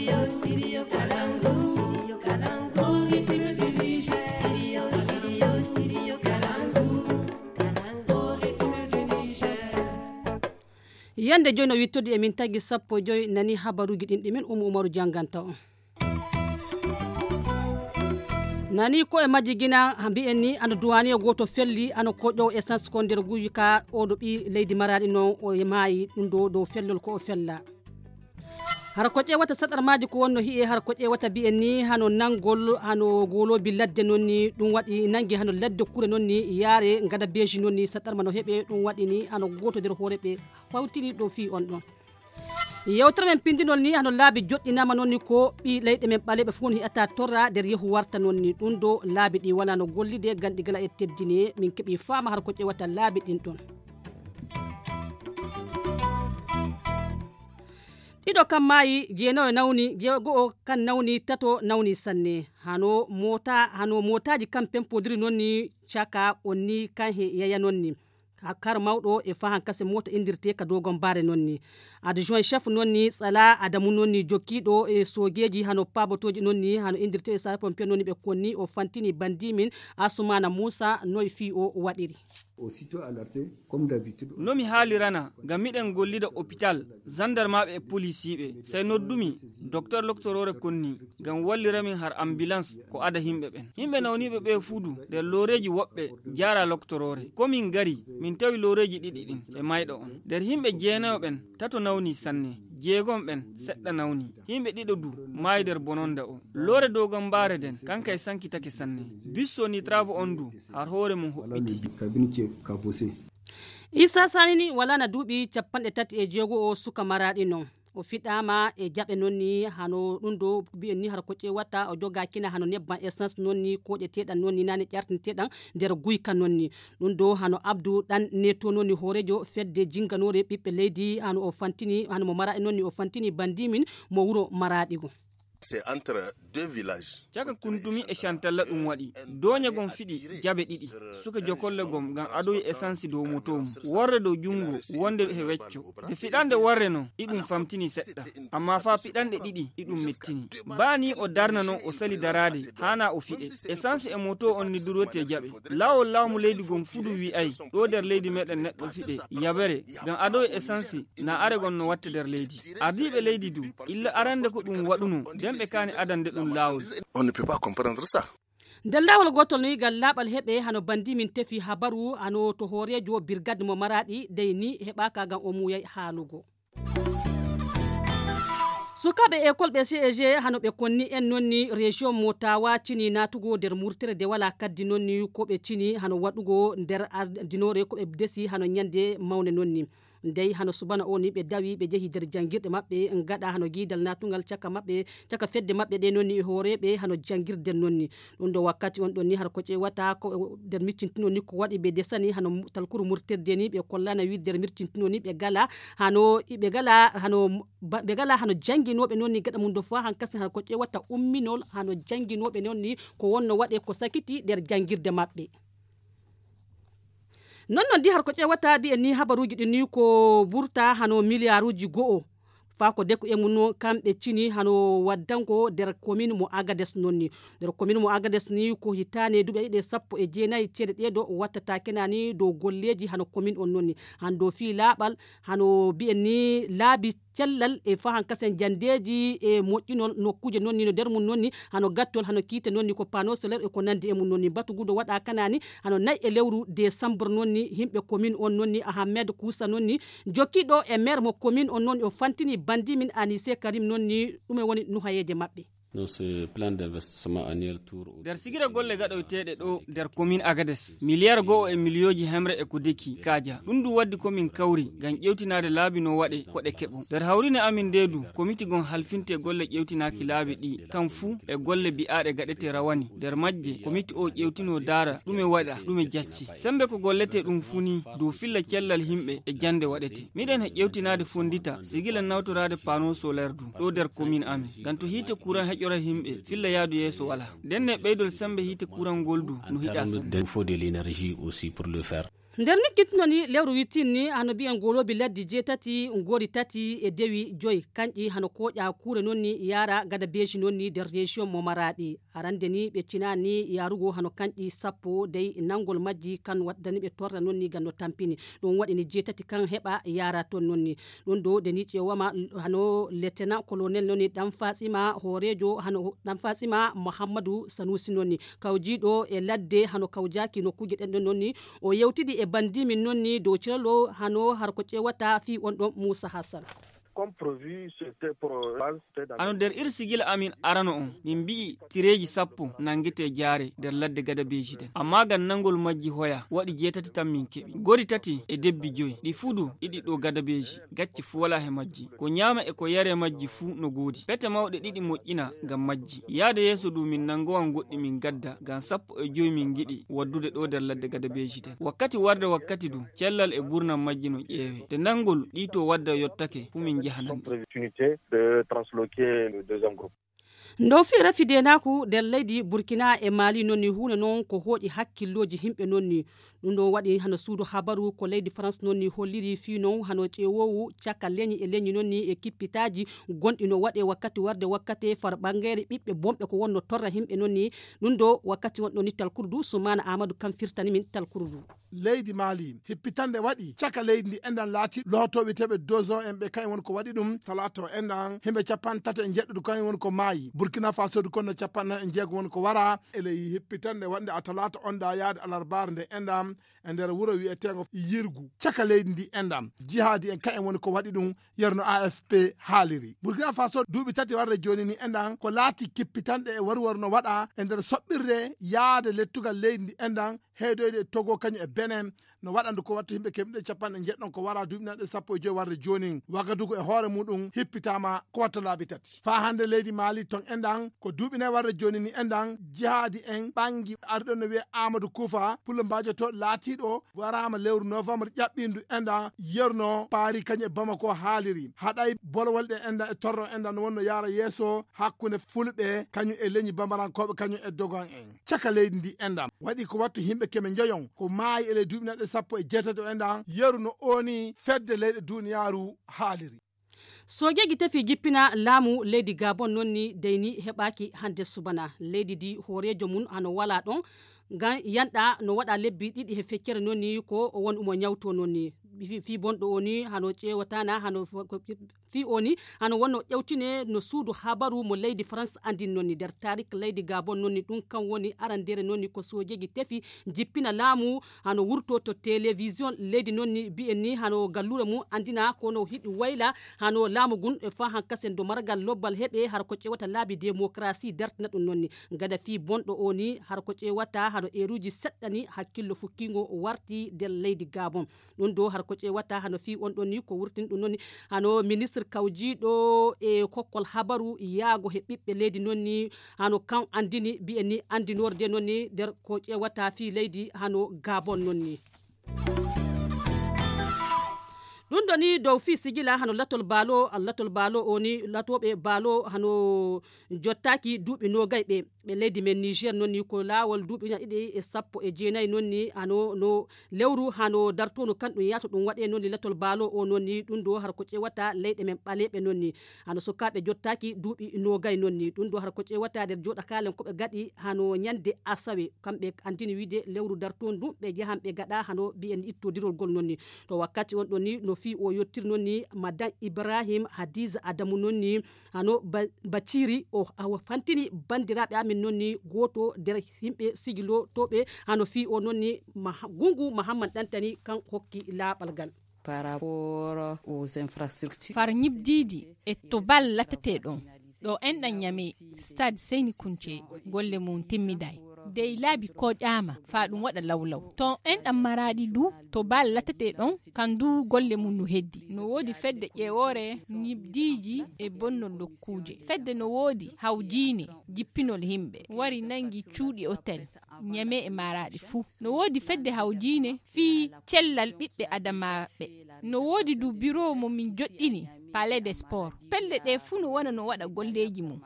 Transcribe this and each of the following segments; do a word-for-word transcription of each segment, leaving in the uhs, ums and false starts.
Studio, studio Kalangu, studio Kalangu, ritme du Niger. Studio, studio, studio Kalangu, Kalangu, ritme du Niger. Yande jono wittode e min tagi sappo joy nani habaruji ɗin ɗimin Umu Umaru janganta on. Nani ko e majji gina mbi'en ni ana duwani goto felli ana koƴo essence ko nder guyi ka o do bi leydi maradi non o e maayi ɗum do do fellol ko o fella. Har ko ƴewata sadarmaji ko wonno hi'e har ko ƴewata bi'en ni hano nangol hano golobi ladde non ni ɗum waɗi nangi hano ladde kure non ni yaare ngada beji non ni sadarma no heɓe ɗum waɗi ni hano goto nder horeɓe fawtiri ɗo fi on ɗon. Yewtere men pindinol ni hano laabi joɗɗinama non ni ko ɓi leyɗe men ɓaleɓe fu on hi'ata torra nder yehu warta non ni ɗum do laabi ɗi wala no gollide gandi gala e teddini min keɓi fama har ko ƴewata laabi ɗin ɗon. Ɗiɗo kam maayi jeenayo nawni jeego kan nawni tato nawni sanne hano mota hano motaji kam pempodiri non ni chaka onni kan he yaya non ni kar mawɗo e fahan kase mota indirte ka dogon bare non ni adjoint chef non ni Sala Adamu non ni jokkiɗo e sogeji hano pabotoji non ni hano indirte e sa pompier non ni ɓe konni o fantini bandimin Asumana Musa noy fi o waɗiri. Aussitôt alerté comme d'habitude. Nomi haalirana ngam miɗen gollida hôpital gendarmeɓe e policiɓe sey noddumi docteur loctorore konni ngam walliramin har ambulance ko ada himɓe ɓen himɓe nawniɓe ɓe fuudu nder loreji woɓɓe jara loctorore komin gari min tawi loreji ɗiɗi ɗin e mayɗo on nder himɓe jeenayo ɓen tato nawni sanne jeegom ɓen seɗɗa nawni himɓe ɗiɗo du maayi nder bononda o lore dogon bare den kanka e sankitake sanne bisso ni travaux on du har hoore mum hoɓɓiti. Isa Sanini wala na duuɓi capanɗe tati e jeego o suka maraɗi non o fiɗama e jaɓe non ni hano ɗum do bi'en ni har ko ƴewata o joga kina hano nebban essence non ni koƴeteɗan non ni nane ƴartinteɗan nder guyka non ni ɗum do hano Abdou ɗan neto non ni horejo fedde jinganore ɓiɓɓe leydi hano o fantini hano mo maraɗi non ni o fantini bandimin mo wuro maraɗi go. C'est entre deux villages. Caka kundumi e chantalla ɗum waɗi doña gon fiɗi jabe ɗiɗi suka jokolle gom ngam adoyi essence dow moto mum worre dow jungo wonde he wecco e fiɗande worre non iɗum famtini seɗɗa amma fa piɗanɗe ɗiɗi iɗum mettini bani o darna non o sali darade hana o fiɗe essence e moto on ni durote jaɓe lawol lawmu leydi gom fudu wi ay ɗo nder leydi meɗen neɗɗo fiɗe yabere ngam adoyi essence na are gon no watte nder leydi ardiɓe leydi du illa arande ko ɗum waɗuno ɓe kani adande ɗum lawol. On ne peut pas comprendre ça. Nder lawol gotol ni gal laɓal heɓe hano bandi min tefi habaru hano to horejo brigade mo maraɗi dey ni heɓaka gam o muyay haalugo. Sukaɓe école ɓe C E G hano ɓe konni en nonni région Motawa cini natugo nder murtere de wala kaddi nonni ko ɓe cini hano waɗugo nder ardinore ko ɓe desi hano nyande mawne nonni. Ndey hano subana o ni ɓe dawi ɓe jehi nder jangirde maɓɓe ngaɗa hano gidal natugal caka maɓɓe caka fedde maɓɓe ɗe nonni horeɓe hano jangirde nonni ɗum do wakkati on ɗon ni har ko ƴewata ko nder miccintino ni ko waɗi ɓe desani hano talkuru murterde ni ɓe kollana wi nder miccintino ni ɓe gala hano ɓe gala hano ɓe gala hano janginoɓe nonni gaɗa mum do fa han kasen har ko ƴewata umminol hano janginoɓe nonni ko wonno waɗe ko sakiti nder jangirde maɓɓe. Non non di har ko ƴewata bi en ni habaruji ɗin ni ko burta hano milliarduji go'o fa ko deko e mun kamɓe cini hano waddango nder commune mo Agades nonni nder commune mo Agades ni ko hitane duɓe ɗiɗi sappo e jeenayi ceeɗe ɗeɗo wattata kenani dow golleji hano commune on nonni hando fi laaɓal hano bi en ni laabi cellal e fahan kasen jandeji e moƴƴinol nokkuje nonni no nder mum nonni hano gattol hano kiite nonni ko panneau solaire e ko nandi e mum nonni batugudo waɗa kanani hano nayi e lewru décembre nonni himɓe commune on nonni Ahmed Kousa nonni jokkiɗo e maire mo commune on nonni o fantini bandi min Anissé Karim nonni ɗume woni nuhayeje maɓɓe. No ce plan d'investissement annuel tour der sigira golle gaɗoyteɗe ɗo der commune Agades milliard go'o e milioji hemre e ko deki kaja ɗum du waddi komin kawri ngam ƴewtinade laabi no waɗe koɗe keɓo der hawrine amin ndedu comité gon halfinte golle ƴewtinaki laabi ɗi kam fuu e golle bi'aɗe gaɗete rawani der majje comité o ƴewtino dara ɗume waɗa ɗume jacci sembe ko gollete ɗum funi dow filla cellal himɓe e jande waɗete miɗen he ƴewtinade fondita sigila nawtorade panneau solaire du ɗo der commune amin ngam to hiite courant ƴora himɓe filla yaadu yeeso wala denne ɓeydol sembe hiite courant goldu no hiɗa il faut de l'énergie aussi pour le faire. nder mi kitnoni lewru wittinni hano bi'en goloɓe laddi jeetati ngori tati e dewi joyi kanƴi hano koƴa kure nonni yara gada beji nonni nder région mo Maradi arande ni ɓe cinani yarugo hano kanƴi sappo dey nangol majji kan waddani ɓe torra nonni gando tampini ɗum waɗi ni jeetati kan heɓa yara ton nonni ɗum do deni ƴewama hano lieutenant colonel nonni ɗan fatsima horejo hano ɗan fatsima Mouhamadou Sanusi nonni kawjiɗo e ladde hano kawjaki no kuje ɗen ɗon nonni o yewtidi e bandi min nonni dow ciralo hano har ko ƴewata fi on ɗon Moussa Hassan. ano nder irsigila amin arano on min mbi'i tireji sappo nangete jaare nder ladde gada beji den amma gan nangol majji hoya waɗi jeetati tan min keɓi gori tati e debbi joyi ɗi fudu ɗiɗi ɗo gada beji gacci fu wala he majji ko nyama e ko yare majji fu no godi pete mawɗe ɗiɗi moƴƴina gam majji yaade yeso du min nangowan goɗɗi min gadda gam sappo e joyi min giɗi waddude ɗo nder ladde gada beji den wakkati warde wakkati du cellal e burnam majji no ƴeewe de nangol ɗi to wadda yottake fu min opportunité de transloquer le deuxième groupe. ndo fi rafide naku nder leydi Burkina e Mali nonni hunde non ko hoɗi hakkilloji himɓe nonni ɗum ɗo waɗi hano suudu habaru ko leydi France nonni holliri fi non hano ƴewowu caka leñi e leñi nonni e kippitaji gonɗi no waɗe wakkati warde wakkati far ɓangere ɓiɓɓe bomɓe ko wonno torra himɓe nonni ɗum ɗo wakkati wonɗo ni talkurdu Soumana Amadou kam firtani min talkurdu leydi Mali hippitande waɗi caka leydi ndi endan laati lotoɓe teɓe dozo en ɓe kañ won ko waɗi ɗum talato endan himɓe capan tata e jeɗɗuɗo kañ won ko maayi Burkina Faso du konno capanna e jeego won ko wara ele hippitande wonde a talata onda yaade alarbar nde endam e nder wuro wi'etego yirgu caka leydi ndi endam jihadi en kañ woni ko waɗi ɗum yerno A F P haaliri Burkina Faso duuɓi tati warde joni ni endan ko laati kippitanɗe e warwar no waɗa e nder soɓɓirde yaade lettugal leydi ndi endan heedoyde e Togo kañum e Benin no waɗandu ko wattu yimɓe kemɗe capanɗe jeɗɗon ko wara duuɓi nanɗe sappo e joyi warde joni Wagadugu e hoore muɗum hippitama ko watta laabi tati fa hande leydi Mali ton endan ko duuɓi nayi warde joni ni endan jihadi en ɓangi arɗon no wiye Amadou Koufa pullo mbajoto laatiɗo warama lewru novembre ƴaɓɓindu endan yerno Paris kañum e Bamako haaliri haɗay bolwol ɗe endan e torro endan no wonno yaara yeeso hakkude fulɓe kañum e leñi bambarankoɓe kañum e dogon en caka leydi ndi endan waɗi ko wattu himɓe keme joyon ko maayi ele duuɓi nanɗe sappo e jeetati o endan yeru no oni fedde leyɗe duniyaru haaliri sojeji tefi jippina laamu leydi Gabon nonni deyni heɓaki hande subana leydi di horejo mun hano wala ɗon gan yanɗa no waɗa lebbi ɗiɗi he feccere nonni ko won umo nyawto nonni fi bonɗo oni hano ƴewatana hano fi oni hano wonno ƴewtine no suudu habaru mo leydi France andin nonni nder tarik leydi Gabon nonni ɗum kan woni arandere nonni ko sojeji tefi jippina laamu hano wurto to télévision leydi nonni bi'en ni hano gallure mum andina kono hiɗi wayla hano laamu gun e fa hankasen do margal lobbal heɓe har ko ƴewata laabi démocratie dartina ɗum nonni gada fi bonɗo oni har ko ƴewata hano eruji seɗɗani hakkillo fukkingo warti nder leydi Gabon ɗum do har ko ƴewata hano fi on ɗon ni ko wurtin ɗum nonni hano ministre kawjiɗo e kokkol habaru yaago he ɓiɓɓe leydi nonni hano kan andini bi'en ni andinorde nonni nder ko ƴewata fi leydi hano Gabon nonni ɗum ɗo ni dow fi sigila hano latol baalo latol baalo oni latoɓe baalo hano jottaki duuɓi nogay ɓe ɓe leydi men Niger nonni ko lawol duuɓi ɗiɗi e sappo e jeenayi nonni hano no lewru hano dartono kan ɗum yato ɗum waɗe nonni latol baalo o nonni ɗum ɗo har ko ƴewata leyɗe men ɓaleɓe nonni hano sukaɓe jottaki duuɓi nogay nonni ɗum ɗo har ko ƴewata nder joɗa kalen koɓe gaɗi hano ñande asawe kamɓe andini wiide lewru darton ɗum ɓe jahan ɓe gaɗa hano mbiyen ittodirol gol nonni to wakkati on ɗon ni no fi o yottir nonni madame Ibrahim Hadiza Adamu nonni hano Baciri o awa fantini bandiraɓe amin nonni goto nder himɓe sigilo toɓe hano fi o nonni Gungu Mahamad Dantani kan hokki laɓal gal par rapport aux infrastructures far ñibdidi e to bal lateteɗon ɗo enɗan ñame stade Seyni Kunce golle mum timmiday dey laabi koƴama fa ɗum waɗa lawlaw to enɗam Maradi du to bal latete ɗon kan du golle mum no heddi no wodi fedde ƴewore ñibdiji e bonnol lokkuje fedde no wodi hawjine jippinol himɓe wari nangi cuuɗi hôtel ñame e Maradi fuu no wodi fedde hawjine fi cellal ɓiɓɓe adamaɓe no wodi du bureau mo min joɗɗini palais des sports pelle ɗe fuu no wona no waɗa golleji mum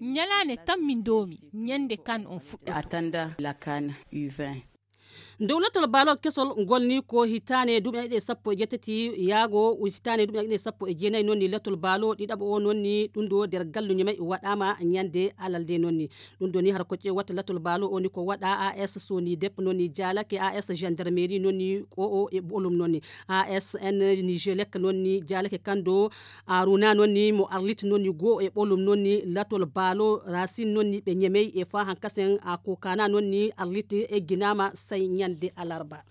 ñalane tan min domi ñande kan on fuɗɗa attenda la CAN U vingt dowlatal balol kesol golni ko hitane duɓe ɗe sappo e jettati yaago hitane duɓe ɗe sappo e jeenayi nonni latol balo ɗiɗaɓo o nonni ɗum ɗo nder galluñu may waɗama ñande alalde nonni ɗum ɗo ni har kocce watta latol balo o ni ko waɗa A S Soni Dep nonni jalake A S gendarmerie nonni ko o e ɓolum nonni A S N Nigelec nonni jalake kando Aruna nonni mo arlit nonni go e ɓolum nonni latol balo Racine nonni ɓe ñemey e fa hankasen a kokana nonni arlit e ginama say ñande alarba.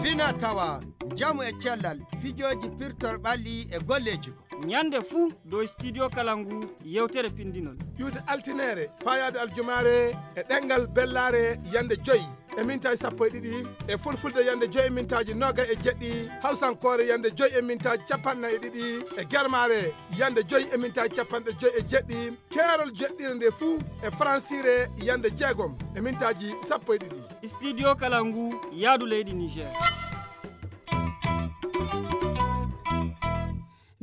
Fina tawa jamu e cellal fijoji pirtol ɓalli e golleji ñande fuu dow studio kalangu yewtere pindinol yude altinere fayade aljumare e ɗengal bellare yande joyyi e mintaji sappo e ɗiɗi e fulfulde yande joyi e mintaji noga e jeɗɗi hawsankore yande joyi e mintaji capannayyi e ɗiɗi e guermare yande joyi e mintaji capanɗe joyi e jeɗɗi keerol jeɗɗire nde fuu e francire yande jeegom e mintaji sappo e ɗiɗi studio kalangu yaadu leydi Niger.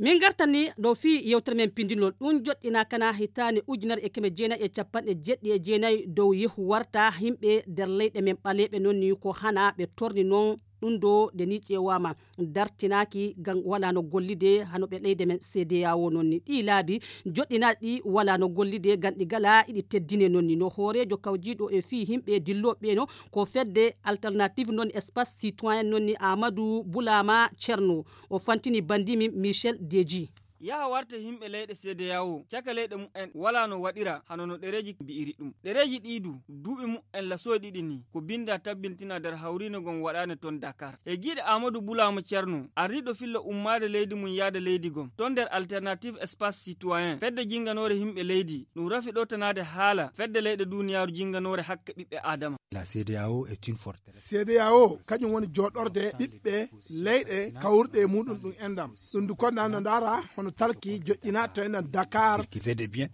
min gartani ɗo fi yewtere men pindinol ɗum joɗɗina kana hitane ujunere e keme jeenayi e capanɗe jeɗɗi e jeenayi dow yehu warta himɓe nder leyɗe men ɓaleɓe nonni ko hana ɓe torni noon ɗum ɗo de ni ƴewama dartinaki gam wala no gollide hano ɓe leyde men C D A O nonni ɗi laabi joɗɗinaɗi ɗi wala no gollide gam ɗi gala iɗi teddine nonni no hoorejo kawjiɗo e fi himɓe dilloɓe no ko fedde alternative non espace citoyen nonni Amadou Boulama Cerno o fantini bandimi Michel Deji yaha warta himɓe leyɗe C D A O caka leyɗe mu'en wala no waɗira hano no ɗereji mbi'iri ɗum ɗereji ɗiɗu duuɓi mu'en lasoy ɗiɗi ni ko binda tabbintina nder hawrino gon waɗane ton Dakar e giɗe Amadou Boulama Cerno arriɗo filla ummade leydi mum yaada leydi gon ton nder alternative espace citoyen fedde jinganore himɓe leydi ɗum rafi ɗo tanade haala fedde leyɗe duniyaru jinganore hakke ɓiɓɓe adama. La C D A O est une forteresse. C D A O kañum woni joɗorde ɓiɓɓe leyɗe kawruɗe e muɗum ɗum endam ɗum du konda no ndara hono talki joƴƴina to enen Dakar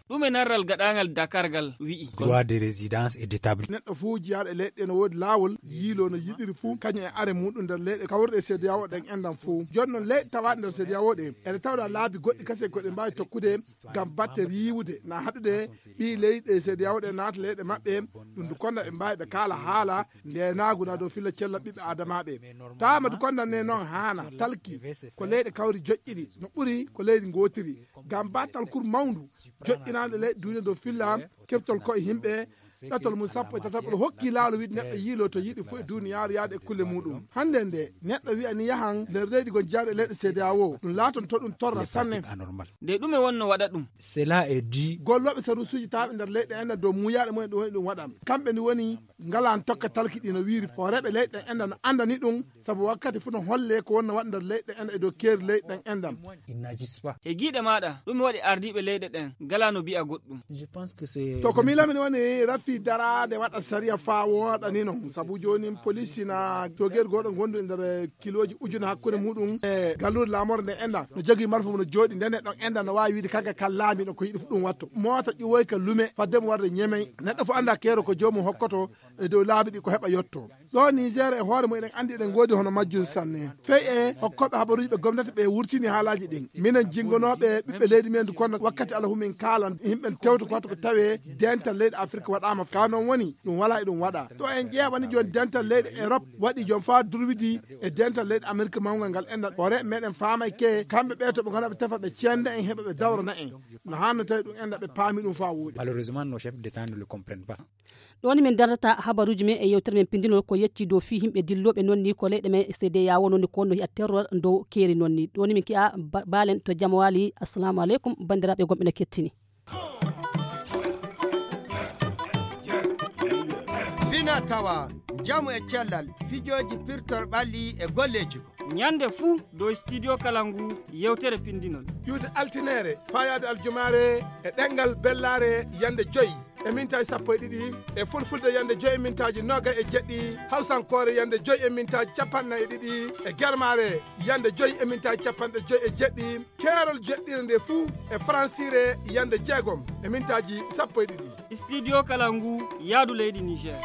ɗum e narral gaɗangal Dakar gal wi'i droit de résidence et d'établissement neɗɗo fuu jiyaɗo e leyɗe no woodi laawol yiilo no yiɗiri fuu kañum e are muɗum nder leyɗe kawruɗe C D A O ɗen endam fuu joni noon leyɗe tawaɗe nder C D A O ɗe ene tawɗa laabi goɗɗi kase koɗe mbawi tokkude gam batte riiwude na haɗude ɓi leyɗe C D A O ɗe naata leyɗe maɓɓe ɗum du konda ɓe mbawi ɓe kaala haala ndenaguna dow filla cella ɓiɓɓe adamaɓe tawama du konda ne noon haana talki ko leyɗe kawri joƴƴiɗi no ɓuuri ko leydi gotiri gam battal kur mawndu joƴƴinade leyɗe duniya dow filla keɓtol koye yimɓe ɗatol mum sappo e tataɓol hokki laalo wiide neɗɗo yiilo to yiɗi fof e duniyaru yaade e kulle muɗum hande nde neɗɗo wiya ni yahan nder leydi gon jaaɗo e leyɗe C D A O ɗum laaton to ɗum torra sanne nde ɗume wonno waɗa ɗum cela est dû golloɓe sarusuji taɓe nder leyɗe enda dow muyaɗe mumen ɗum woni ɗum waɗam kamɓe ni woni ngalan tokka talki ɗi no wiiri horeɓe leyɗe enda no andani ɗum saabu wakkati fuu no holle ko wonno waɗa nder leyɗe enda e dow keeri leyɗe ɗen endam e giiɗe maɗa ɗum waɗi ardiɓe leyɗe ɗen ngala no mbi'a goɗɗum to ko milamini woni rafi darade waɗa saria fa woɗa ni noon saabu joni police na jogeri goɗo gondu nder kiloji ujune hakkude muɗum e gallude lamorde nde enda no jogui marfa no jooɗi nde neɗɗo enda no wawi wiide kaga kal laamiɗo ko yiɗi fu ɗum watto mota ƴiwoy ka lume faddemo warde ñemey neɗɗo fo anda keero ko jomum hokkoto e dow laabi ɗi ko heɓa yetto ɗo Niger e hoore mum eɗen andi eɗen goodi hono majjum sanne fey e hokkoɓe habaruji ɓe gomnati ɓe wurtini haalaji ɗin minen jingonoɓe ɓiɓɓe leydi men du kono wakkati ala humin kaalan yimɓe tewto ko watta ko tawe dental leydi Afrique waɗama ka noon woni ɗum wala e ɗum waɗa to en ƴeewani joni dental leydi Europe waɗi joni fa durwidi e dental leydi Amérique mawgal ngal enda hoore meɗen faamay ke kamɓe ɓe to ɓe gona ɓe tefa ɓe cenda en heeɓa ɓe dawrana en no hanno tawi ɗum enda ɓe paami ɗum fa woodi malheureusement nos chefs d'état ne le comprennent pas ɗoni min darata habaruji men e yewtere men pindinol ko yecci dow fi himɓe dilloɓe nonni ko leyɗe men C D A O nonni ko no hiya terror dow keeri nonni ɗoni min ki'a balen to jaam waali assalamu aleykum bandiraɓe gomɓe no kettini fina tawa jamu e cellal fijoji pirtol ɓalli e golleji ñande fuu dow studio kalangu yewtere pindinol yude altinere fayade aljumare e ɗengal bellare yande joyyi e mintaji sappo e ɗiɗi e fulfulde yande joyi e mintaji noga e jeɗɗi hawsankore yande joyi e mintaji capannayyi e ɗiɗi e guermare yande joyi e mintaji capanɗe joyi e jeɗɗi keerol jeɗɗire nde fuu e francire yande jeegom e mintaji sappo e ɗiɗi studio kalangu yaadu leydi Niger.